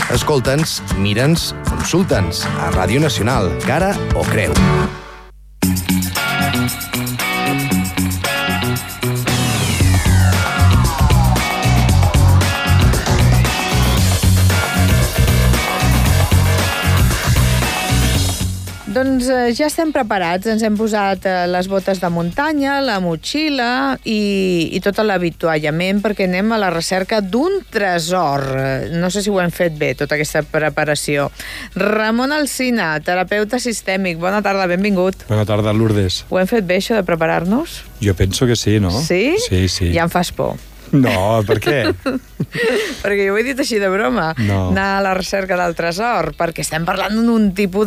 Escolta'ns, mira'ns, consulta'ns a Ràdio Nacional, cara o creu. Doncs ja estem preparats, ens hem posat les botes de muntanya, la motxilla i tot l'avituallament perquè anem a la recerca d'un tresor. No sé si ho hem fet bé, tota aquesta preparació. Ramon Alsina, terapeuta sistèmic, bona tarda, benvingut. Bona tarda, Lourdes. Ho hem fet bé, això de preparar-nos? Jo penso que sí, no? Sí? Sí. Ja em fas por. No, per què? Perquè jo ho he dit així de broma, no. Anar a la recerca del tresor, perquè estem parlant d'un tipus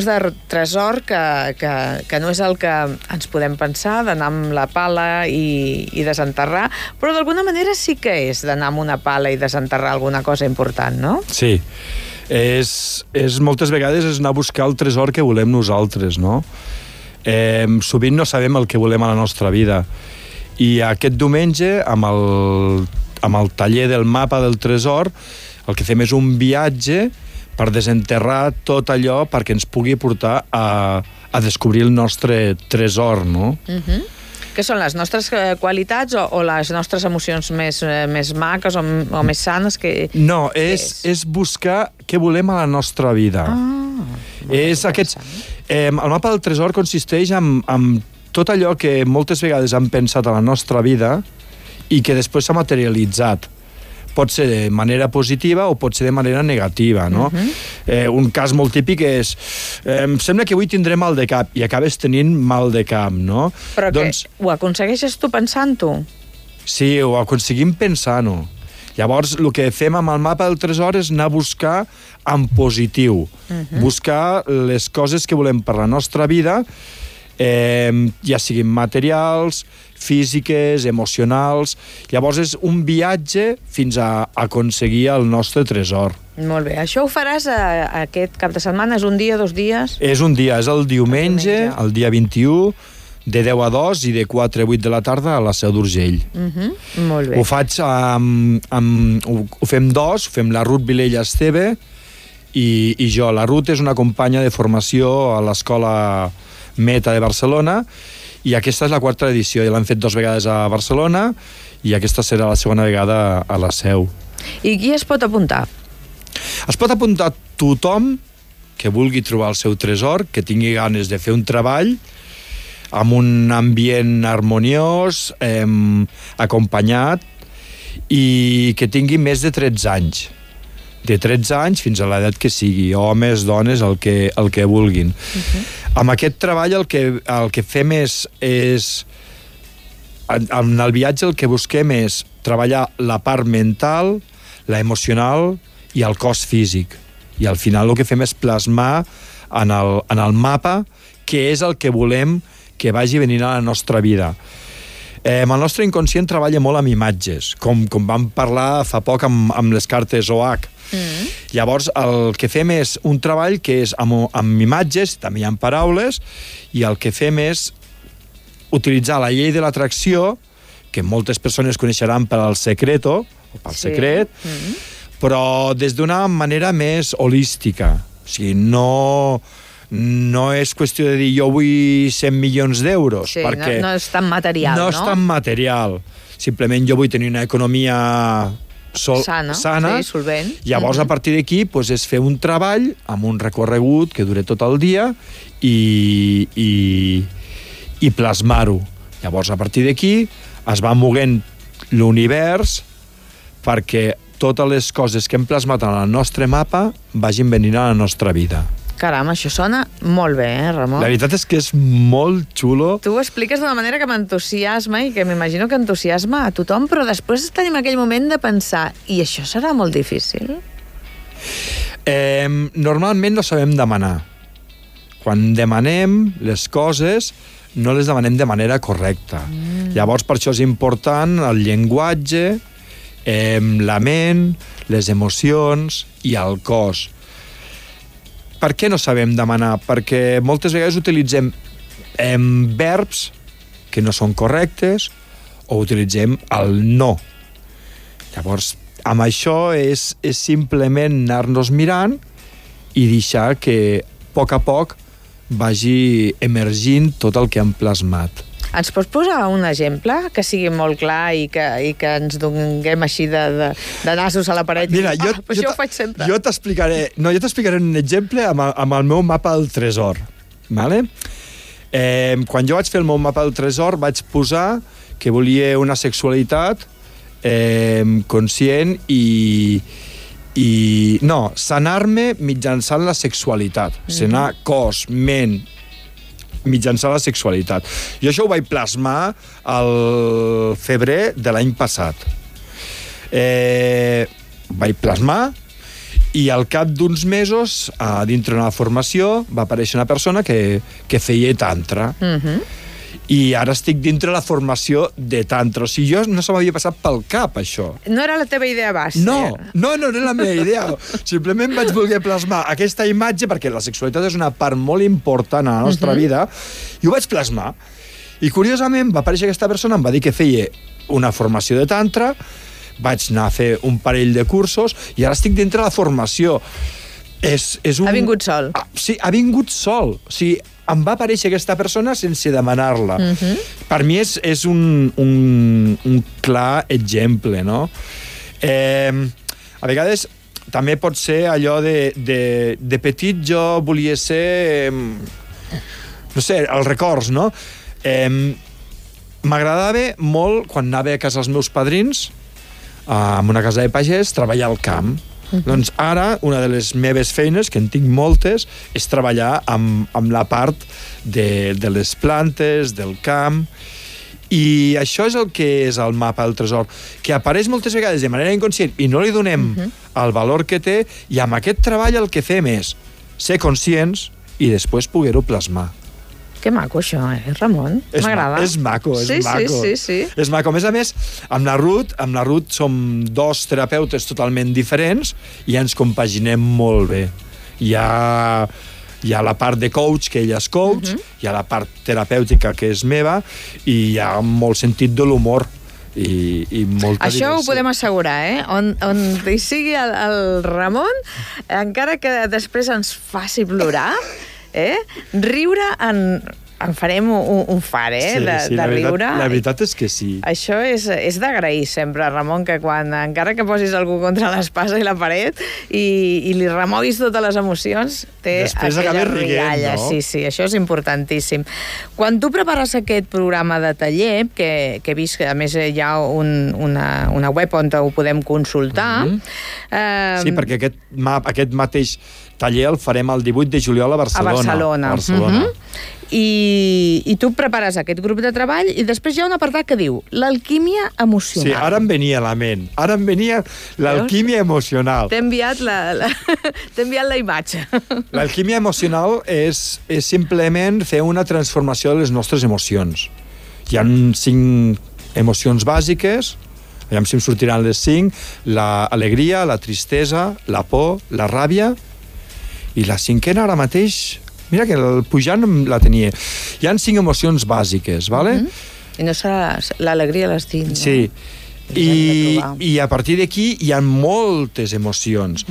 de tresor que no és el que ens podem pensar, d'anar amb la pala i desenterrar, però d'alguna manera sí que és d'anar amb una pala i desenterrar alguna cosa important, no? Sí, és moltes vegades és anar a buscar el tresor que volem nosaltres, no? Sovint no sabem el que volem a la nostra vida. I aquest diumenge, amb el taller del mapa del tresor, el que fem és un viatge per desenterrar tot allò perquè ens pugui portar a descobrir el nostre tresor, no? Què són les nostres qualitats o les nostres emocions més maques o més sanes? No, és buscar què volem a la nostra vida. El mapa del tresor consisteix en tot allò que moltes vegades hem pensat a la nostra vida i que després s'ha materialitzat. Pot ser de manera positiva o pot ser de manera negativa, no? Un cas molt típic és em sembla que avui tindré mal de cap i acabes tenint mal de cap, no? Però doncs, ho aconsegueixes tu pensant-ho? Sí, ho aconseguim pensant-ho. Llavors, el que fem amb el mapa del tresor és anar a buscar en positiu. Buscar les coses que volem per la nostra vida, ja siguin materials, físiques, emocionals. Llavors és un viatge fins a aconseguir el nostre tresor. Molt bé. Això ho faràs aquest cap de setmana? És un dia, 2 dies? És un dia, és el diumenge, el dia 21, de 10 a 2 i de 4 a 8 de la tarda a la Seu d'Urgell. Molt bé. Ho faig ho fem dos, ho fem la Ruth Vilella Esteve i jo. La Ruth és una companya de formació a l'Escola Meta de Barcelona i aquesta és la 4a edició, ja l'han fet 2 vegades a Barcelona i aquesta serà la segona vegada a la Seu. I qui es pot apuntar? Es pot apuntar tothom que vulgui trobar el seu tresor, que tingui ganes de fer un treball amb un ambient harmoniós, acompanyat i que tingui més de 13 anys. De 13 anys fins a l'edat que sigui, homes, dones, el que vulguin. Amb aquest treball el que fem és en el viatge el que busquem és treballar la part mental, la emocional i el cos físic. I al final el que fem és plasmar en el mapa què és el que volem que vagi venint a la nostra vida. El nostre inconscient treballa molt amb imatges, com vam parlar fa poc amb les cartes OH. Llavors, el que fem és un treball que és amb imatges, també hi ha paraules, i el que fem és utilitzar la llei de l'atracció, que moltes persones coneixeran per al secreto, o pel secret, però des d'una manera més holística. O sigui, no és qüestió de dir jo vull 100 milions d'euros. Sí, perquè no és tan material, no? No és tan material. Simplement jo vull tenir una economia sana, sí, solvent. Llavors, a partir d'aquí, és fer un treball amb un recorregut que dure tot el dia i plasmar-ho. Llavors, a partir d'aquí, es va moguent l'univers perquè totes les coses que hem plasmat en el nostre mapa vagin venint a la nostra vida. Caram, això sona molt bé, Ramon? La veritat és que és molt xulo. Tu ho expliques d'una manera que m'entusiasma i que m'imagino que entusiasma a tothom, però després tenim aquell moment de pensar, i això serà molt difícil? Normalment no sabem demanar. Quan demanem les coses, no les demanem de manera correcta. Llavors, per això és important el llenguatge, la ment, les emocions i el cos. Per què no sabem demanar? Perquè moltes vegades utilitzem verbs que no són correctes o utilitzem el no. Llavors, amb això és simplement anar-nos mirant i deixar que a poc vagi emergint tot el que hem plasmat. Ens pots posar un exemple que sigui molt clar i que ens donguem així de nassos a la paret? Mira, Això ho faig sempre. Jo t'explicaré un exemple amb el meu mapa del tresor. Vale? Quan jo vaig fer el meu mapa del tresor vaig posar que volia una sexualitat conscient i sanar-me mitjançant la sexualitat. Sanar cos, ment, mitjançant la sexualitat. Jo això ho vaig plasmar al febrer de l'any passat. Vaig plasmar i al cap d'uns mesos, dintre d'una formació, va aparèixer una persona que feia tantra. I ara estic dintre la formació de tantra. O sigui, jo no se m'havia passat pel cap, això. No era la teva idea base. No era la meva idea. Simplement vaig voler plasmar aquesta imatge, perquè la sexualitat és una part molt important a la nostra vida, i ho vaig plasmar. I, curiosament, va aparèixer aquesta persona, em va dir que feia una formació de tantra, vaig anar a fer un parell de cursos, i ara estic dintre la formació. Ha vingut sol. Sí, ha vingut sol. O sigui, em va aparèixer aquesta persona sense demanar-la. Per mi és un clar exemple, no? A vegades també pot ser allò de petit jo volia ser, no sé, els records, no? M'agradava molt, quan anava a casa dels meus padrins, en una casa de pagès, treballar al camp. Doncs ara, una de les meves feines, que en tinc moltes, és treballar amb la part de les plantes, del camp, i això és el que és el mapa del tresor, que apareix moltes vegades de manera inconscient i no li donem el valor que té, i amb aquest treball el que fem és ser conscients i després poder-ho plasmar. Que maco, això, Ramon? M'agrada. És maco, és maco. Sí. És maco. A més a més, amb la Ruth som dos terapeutes totalment diferents i ens compaginem molt bé. Hi ha la part de coach, que ella és coach, hi ha la part terapèutica, que és meva, i hi ha molt sentit de l'humor i molta això diversió. Ho podem assegurar, on hi sigui el Ramon, encara que després ens faci plorar, riure en farem un far, de riure. La veritat és que sí. Això és d'agrair sempre, Ramon, que encara que posis algú contra l'espasa i la paret i li remoguis totes les emocions, té després aquella rialla. No? Sí, això és importantíssim. Quan tu prepares aquest programa de taller, que he vist que a més hi ha una web on ho podem consultar... Sí, perquè aquest mateix taller el farem el 18 de juliol a Barcelona. I tu prepares aquest grup de treball i després hi ha un apartat que diu l'alquímia emocional. Sí, ara em venia a la ment. Ara em venia l'alquímia emocional. T'he enviat la imatge. L'alquímia emocional és simplement fer una transformació de les nostres emocions. Hi ha 5 emocions bàsiques, aviam si em sortiran les 5, l'alegria, la tristesa, la por, la ràbia, i la 5a ara mateix... Mira que el pujant la tenia. Hi ha 5 emocions bàsiques, ¿vale? I no serà l'alegria a les 5, no? Sí. I a partir d'aquí hi ha moltes emocions.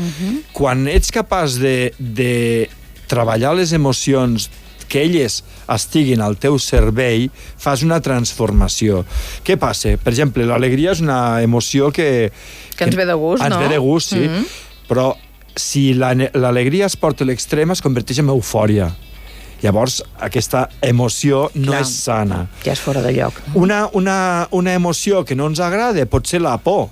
Quan ets capaç de treballar les emocions, que elles estiguin al teu servei, fas una transformació. Què passa? Per exemple, l'alegria és una emoció que ens ve de gust, no? Ens ve de gust, sí. Però si l'alegria es porta a l'extrem, es converteix en eufòria. Llavors, aquesta emoció no és sana. Ja és fora de lloc. Una emoció que no ens agrada pot ser la por.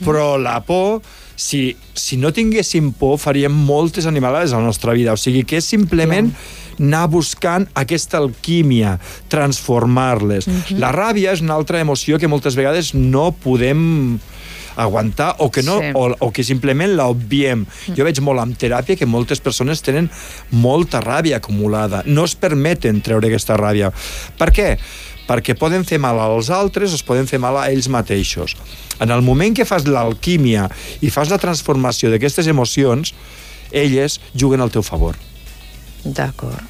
Però la por, si no tinguéssim por, faríem moltes animalades a la nostra vida. O sigui que és simplement anar buscant aquesta alquímia, transformar-les. La ràbia és una altra emoció que moltes vegades no podem aguantar o que simplement l'obviem. Jo veig molt en teràpia que moltes persones tenen molta ràbia acumulada. No es permeten treure aquesta ràbia. Per què? Perquè poden fer mal als altres o es poden fer mal a ells mateixos. En el moment que fas l'alquímia i fas la transformació d'aquestes emocions, elles juguen al teu favor. D'acord.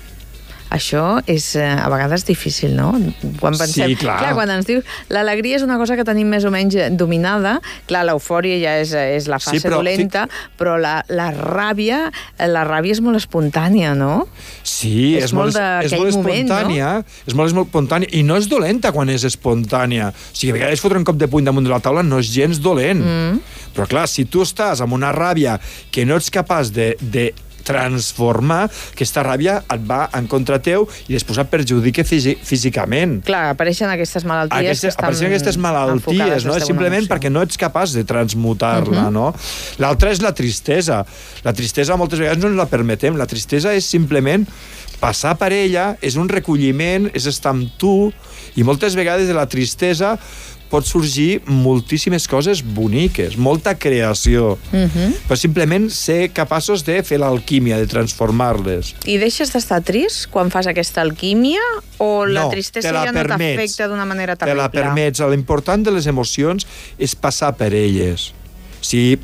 Això és a vegades difícil, no? Quan pensem, Sí, clar. Quan ens dius l'alegria és una cosa que tenim més o menys dominada, clar, l'eufòria ja és la fase dolenta, però la ràbia és molt espontània, no? Sí, és molt espontània, no? És molt espontània, i no és dolenta quan és espontània. O sigui, a vegades fotre un cop de puny damunt de la taula no és gens dolent. Però clar, si tu estàs amb una ràbia que no ets capaç de transformar, aquesta ràbia et va en contra teu i després et perjudica físicament. Clar, apareixen aquestes malalties no? Simplement perquè no ets capaç de transmutar-la, no? L'altra és la tristesa. La tristesa moltes vegades no ens la permetem. La tristesa és simplement passar per ella, és un recolliment, és estar amb tu, i moltes vegades de la tristesa pot sorgir moltíssimes coses boniques, molta creació. Però simplement ser capaços de fer l'alquímia, de transformar-les. I deixes d'estar trist quan fas aquesta alquímia? O la tristesa ja no t'afecta d'una manera terrible? Te la permets. L'important de les emocions és passar per elles. Si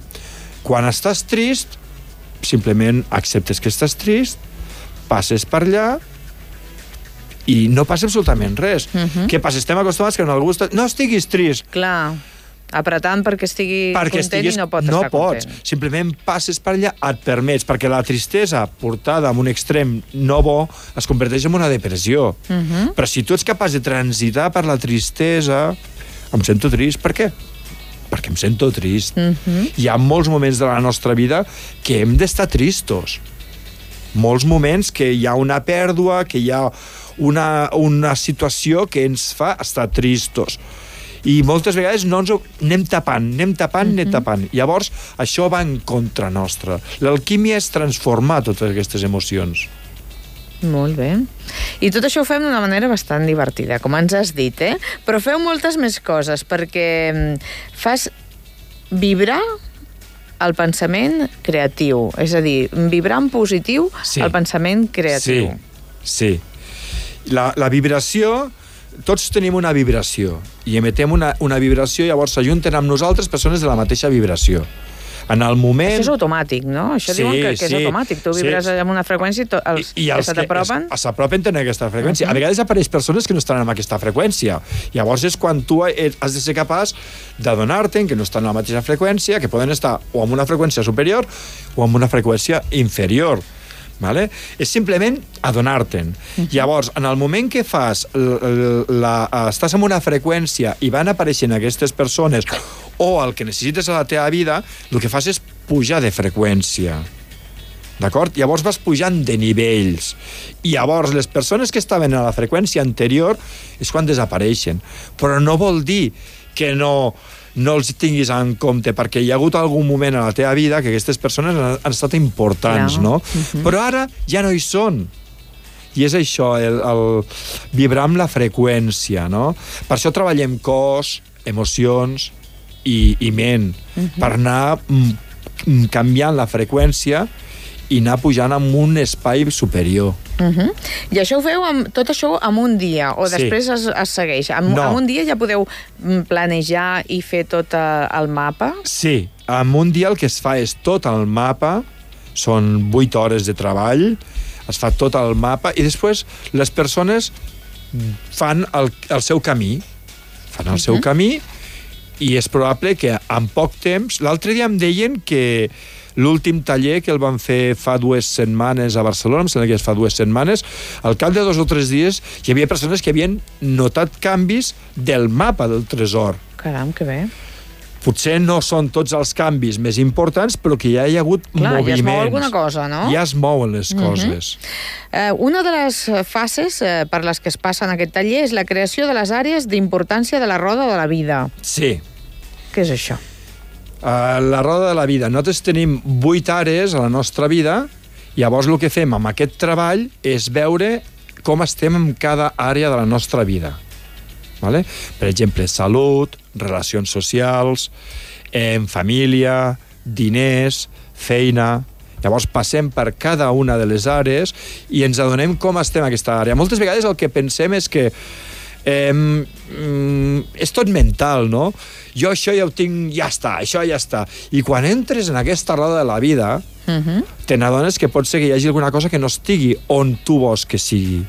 quan estàs trist, simplement acceptes que estàs trist, passes per allà, i no passa absolutament res. Què passa? Estem acostumats que quan algú està... No estiguis trist. Clar, apretant perquè estigui content i no pot estar content. Simplement passes per allà, et permets, perquè la tristesa portada a un extrem no bo es converteix en una depressió. Però si tu ets capaç de transitar per la tristesa, em sento trist. Per què? Perquè em sento trist. Hi ha molts moments de la nostra vida que hem d'estar tristos. Molts moments que hi ha una pèrdua, que hi ha una situació que ens fa estar tristos. I moltes vegades no ens anem tapant. Llavors, això va en contra nostra. L'alquímia és transformar totes aquestes emocions. Molt bé. I tot això ho fem d'una manera bastant divertida, com ens has dit, eh? Però feu moltes més coses, perquè fas vibrar el pensament creatiu. És a dir, vibrar en positiu el pensament creatiu. Sí. La vibració, tots tenim una vibració i emetem una vibració, llavors s'ajunten amb nosaltres persones de la mateixa vibració. En el moment... Això és automàtic, no? Això diuen que és automàtic. Tu vibres amb una freqüència i els que t'apropen... S'apropen tenen aquesta freqüència. A vegades apareix persones que no estan en aquesta freqüència. Llavors és quan tu has de ser capaç d'adonar-te que no estan en la mateixa freqüència, que poden estar o en una freqüència superior o en una freqüència inferior. Vale? És simplement adonar-te'n. Llavors, en el moment que fas estàs en una freqüència i van apareixent aquestes persones o el que necessites a la teva vida, el que fas és pujar de freqüència. D'acord? Llavors vas pujant de nivells. I llavors les persones que estaven a la freqüència anterior és quan desapareixen. Però no vol dir que no els tinguis en compte, perquè hi ha hagut algun moment a la teva vida que aquestes persones han estat importants, no? Però ara ja no hi són. I és això, el vibrar amb la freqüència, no? Per això treballem cos, emocions i ment, per anar canviant la freqüència i anar pujant en un espai superior. I això ho feu tot això en un dia, o després es segueix? En un dia ja podeu planejar i fer tot el mapa? Sí, en un dia el que es fa és tot el mapa, són 8 hores de treball, es fa tot el mapa, i després les persones fan el seu camí. Fan el seu camí, i és probable que en poc temps... L'altre dia em deien que l'últim taller que el van fer fa 2 setmanes a Barcelona, em sembla que fa 2 setmanes, al cap de 2 o 3 dies hi havia persones que havien notat canvis del mapa del tresor. Caram, que bé. Potser no són tots els canvis més importants, però que ja hi ha hagut moviments. Ja es mou alguna cosa, no? Ja es mouen les coses. Una de les fases per les que es passa en aquest taller és la creació de les àrees d'importància de la roda de la vida. Sí. Què és això? La roda de la vida. Nosaltres tenim 8 àrees a la nostra vida, llavors el que fem amb aquest treball és veure com estem en cada àrea de la nostra vida. Vale? Per exemple, salut, relacions socials, família, diners, feina... Llavors passem per cada una de les àrees i ens adonem com estem en aquesta àrea. Moltes vegades el que pensem és que És tot mental, no? Jo això ja ho tinc, ja està, això ja està. I quan entres en aquesta roda de la vida, te n'adones que pot ser que hi hagi alguna cosa que no estigui on tu vols que sigui.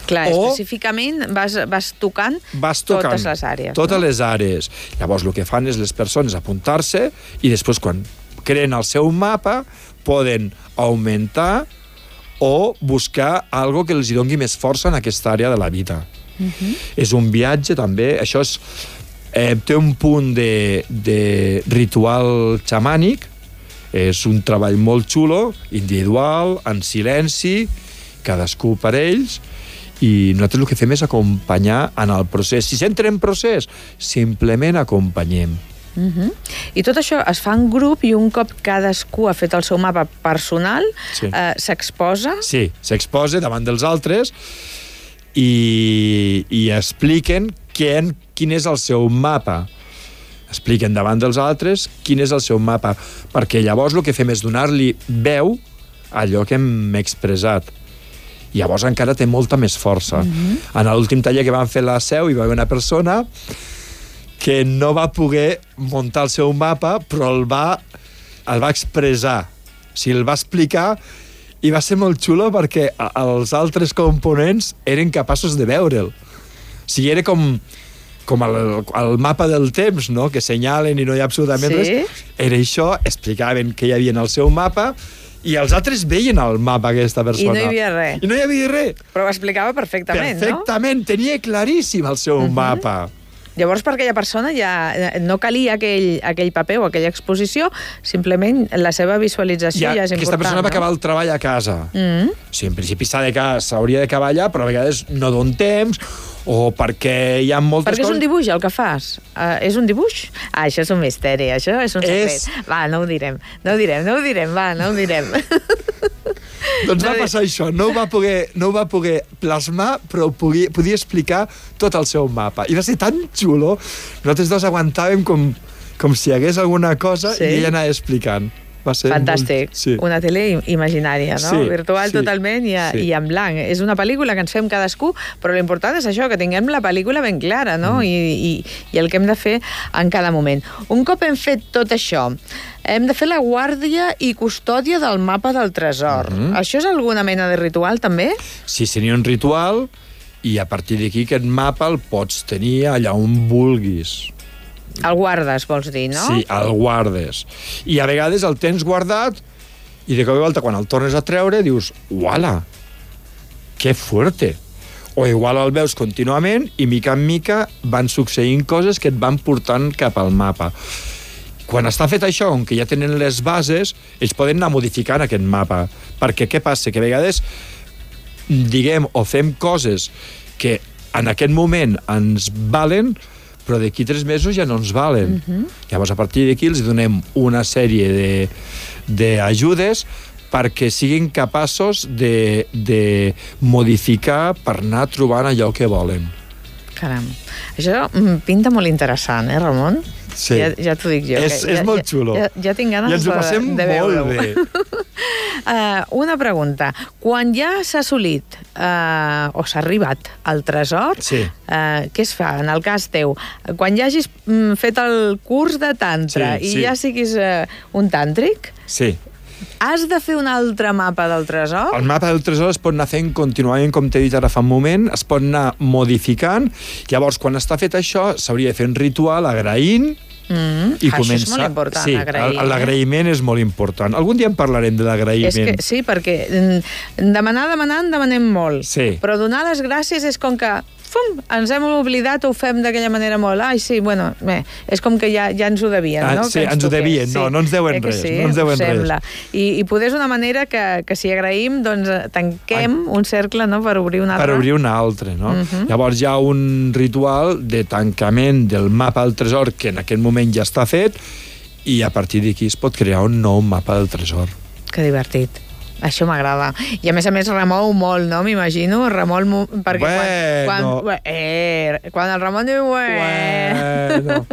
Clar, específicament vas tocant totes les àrees. Totes les àrees. Llavors, el que fan és les persones apuntar-se i després, quan creen el seu mapa, poden augmentar o buscar algo que els doni més força en aquesta àrea de la vida. És un viatge, també. Això és, té un punt de ritual xamànic. És un treball molt xulo, individual, en silenci, cadascú per ells, i nosaltres el que fem és acompanyar en el procés. Si s'entra en procés, simplement acompanyem. I tot això es fa en grup i un cop cadascú ha fet el seu mapa personal, s'exposa? Sí, s'exposa davant dels altres i expliquen quin és el seu mapa. Expliquen davant dels altres quin és el seu mapa, perquè llavors el que fem és donar-li veu a allò que hem expressat. Llavors encara té molta més força. En l'últim taller que vam fer a la Seu hi va haver una persona que no va poder muntar el seu mapa, però el va expressar. O sigui, el va explicar i va ser molt xulo perquè els altres components eren capaços de veure'l. O sigui, era com el mapa del temps, no?, que senyalen i no hi ha absolutament res. Era això, explicaven què hi havia en el seu mapa i els altres veien el mapa aquesta persona. I no hi havia res. I no hi havia res. Però ho explicava perfectament, no? Perfectament, tenia claríssim el seu mapa. Llavors, per aquella persona ja no calia aquell paper o aquella exposició, simplement la seva visualització ja és important. Aquesta persona va acabar el treball a casa. O sigui, en principi s'hauria d'acabar allà, però a vegades no don temps, o perquè hi ha moltes coses... Perquè és un dibuix el que fas. És un dibuix? Això és un misteri, això és un secret. Va, no ho direm, va, no ho direm. Doncs va passar això, no ho va poder plasmar, però podia explicar tot el seu mapa. I va ser tan xulo, nosaltres dos aguantàvem com si hi hagués alguna cosa i ella anava explicant. Va ser fantàstic. Una tele imaginària, no? Virtual totalment i en blanc. És una pel·lícula que ens fem cadascú, però l'important és això, que tinguem la pel·lícula ben clara, no? I el que hem de fer en cada moment. Un cop hem fet tot això, hem de fer la guàrdia i custòdia del mapa del tresor. Això és alguna mena de ritual, també? Sí, seria un ritual, i a partir d'aquí aquest mapa el pots tenir allà on vulguis. El guardes, vols dir, no? Sí, el guardes. I a vegades el tens guardat i de cop i volta, quan el tornes a treure, dius, uala, que fuerte. O igual el veus contínuament i mica en mica van succeint coses que et van portant cap al mapa. Quan està fet això, on que ja tenen les bases, ells poden anar modificant aquest mapa. Perquè què passa? Que a vegades diguem o fem coses que en aquest moment ens valen, però d'aquí 3 mesos ja no ens valen. Llavors, a partir d'aquí els donem una sèrie d'ajudes perquè siguin capaços de modificar per anar trobant allò que volen. Caram, això pinta molt interessant, Ramon? Sí. Ja t'ho dic jo. És molt xulo. Ja tinc ganes de veure-ho. I ens ho passem molt bé. Una pregunta. Quan ja s'ha assolit o s'ha arribat al tresor, què es fa en el cas teu? Quan ja hagis fet el curs de tantra i ja siguis un tàntric, has de fer un altre mapa del tresor? El mapa del tresor es pot anar fent contínuament, com t'he dit ara fa un moment, es pot anar modificant. Llavors, quan està fet això, s'hauria de fer un ritual agraint i començar... Això és molt important, agrair. L'agraïment és molt important. Algun dia en parlarem de l'agraïment. Sí, perquè demanem molt. Però donar les gràcies és com que ens hem oblidat o ho fem d'aquella manera molt. Ai, sí, bueno, és com que ja ens ho devien, no? Sí, ens ho devien, no ens deuen res. No ens deuen res. I poder és una manera que si agraïm, doncs tanquem un cercle, no?, per obrir un altre. Per obrir un altre, no? Llavors hi ha un ritual de tancament del mapa del tresor que en aquest moment ja està fet i a partir d'aquí es pot crear un nou mapa del tresor. Que divertit. Això m'agrada. I a més remou molt, no? M'imagino. Remou molt... Perquè quan el Ramon diu... Bueno.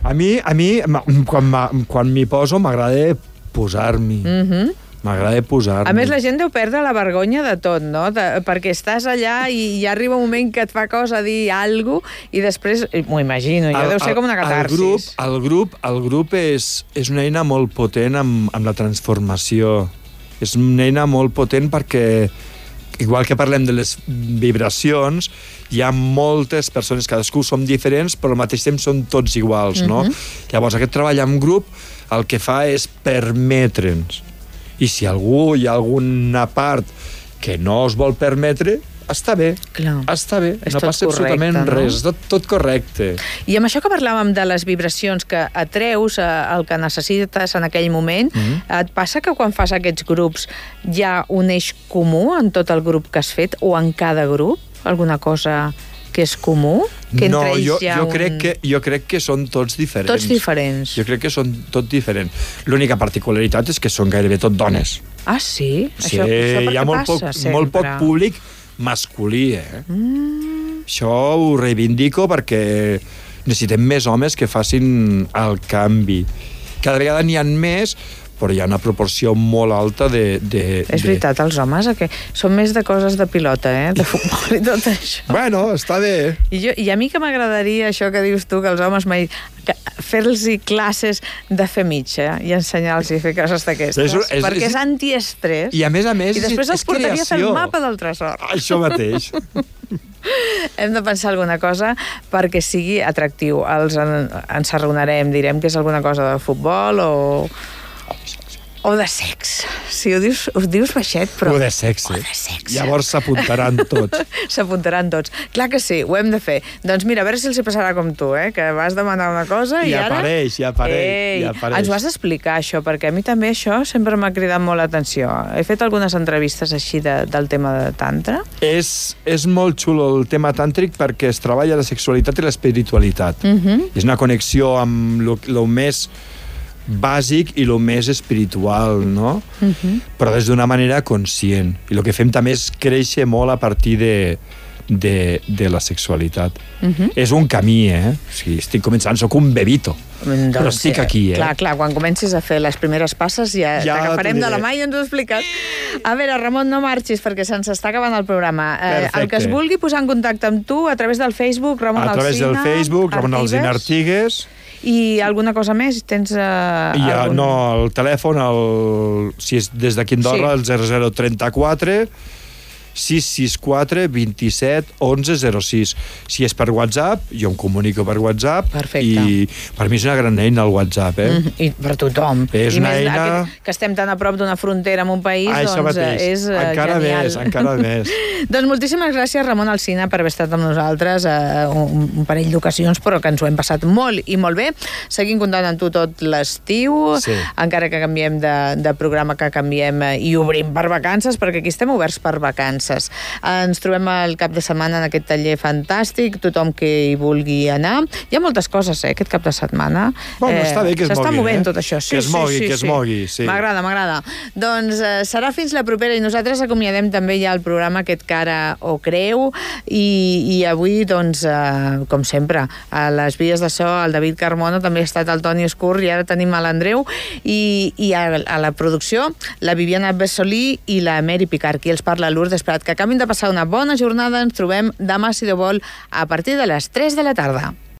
A mi quan m'hi poso, m'agrada posar-m'hi. M'agrada posar-me. A més, la gent deu perdre la vergonya de tot, no? Perquè estàs allà i ja arriba un moment que et fa cosa dir alguna cosa i després, m'ho imagino, jo deu ser com una catarsis. El grup és una eina molt potent amb la transformació. És una eina molt potent perquè, igual que parlem de les vibracions, hi ha moltes persones, cadascú som diferents, però al mateix temps són tots iguals, no? Llavors, aquest treball en grup el que fa és permetre'ns. I si hi ha alguna part que no es vol permetre, està bé. Clar. Està bé. És No tot passa absolutament correcte, no? res. És tot correcte. I amb això que parlàvem de les vibracions que atreus el que necessites en aquell moment, et passa que quan fas aquests grups hi ha un eix comú en tot el grup que has fet o en cada grup? Alguna cosa que és comú? Que No, entre ells jo crec que són tots diferents. Tots diferents. Jo crec que són tots diferents. L'única particularitat és que són gairebé tot dones. Ah, sí? Sí, això per hi ha què molt passa poc sempre? públic masculí, Això ho reivindico perquè necessitem més homes que facin el canvi. Cada vegada n'hi ha més, però hi ha una proporció molt alta de... És veritat, els homes que són més de coses de pilota, de futbol i tot això. Bueno, està bé. I a mi que m'agradaria això que dius tu, que els homes fer-los classes de fer mitja i ensenyar-los a fer coses d'aquestes, perquè és antiestrès. I a més, I després els portaria a fer el mapa del tresor. Això mateix. Hem de pensar alguna cosa perquè sigui atractiu. Ens arraonarem, direm que és alguna cosa de futbol o de sex. Si ho dius baixet, però... O de sexe. Llavors s'apuntaran tots. S'apuntaran tots. Clar que sí, ho hem de fer. Doncs mira, a veure si els hi passarà com tu, que vas demanar una cosa i ara... Ja apareix. Ens ho has d'explicar, això, perquè a mi també això sempre m'ha cridat molt l'atenció. He fet algunes entrevistes així del tema de tantra. És molt xulo el tema tàntric perquè es treballa la sexualitat i l'espiritualitat. És una connexió amb el més bàsic i el més espiritual, no? Però des d'una manera conscient. I el que fem també és créixer molt a partir de la sexualitat. És un camí, O sigui, estic començant, soc un bebito. Però estic aquí, Clar, quan comencis a fer les primeres passes ja t'agafarem de la mà i ens ho has explicat. A veure, Ramon, no marxis perquè se'ns està acabant el programa. El que es vulgui posar en contacte amb tu a través del Facebook, Ramon Alsina. A través del Facebook, Ramon Alsina Artigues. I alguna cosa més? Tens No, el telèfon, si és des d'aquí Andorra, el 0034 664 27 11 06. Si és per WhatsApp, jo em comunico per WhatsApp. Perfecte. I per mi és una gran eina el WhatsApp, I per tothom. És una eina... Que estem tan a prop d'una frontera en un país, doncs és genial. Encara més. Doncs moltíssimes gràcies, Ramon Alsina, per haver estat amb nosaltres un parell d'ocasions, però que ens ho hem passat molt i molt bé. Seguim comptant amb tu tot l'estiu, encara que canviem de programa, que canviem i obrim per vacances, perquè aquí estem oberts per vacances. Ens trobem el cap de setmana en aquest taller fantàstic, tothom que hi vulgui anar. Hi ha moltes coses, aquest cap de setmana. Bueno, està bé que es mogui. S'està movent tot això. Que es mogui. M'agrada. Doncs serà fins la propera i nosaltres acomiadem també ja el programa aquest Cara o Creu i avui, doncs, com sempre, a les vies de so, el David Carmona, també ha estat el Toni Escur i ara tenim l'Andreu i a la producció la Viviana Bessolí i la Mary Picard, qui els parla, Lourdes Prat. Que acabin de passar una bona jornada. Ens trobem demà, si Déu vol, a partir de les 3 de la tarda.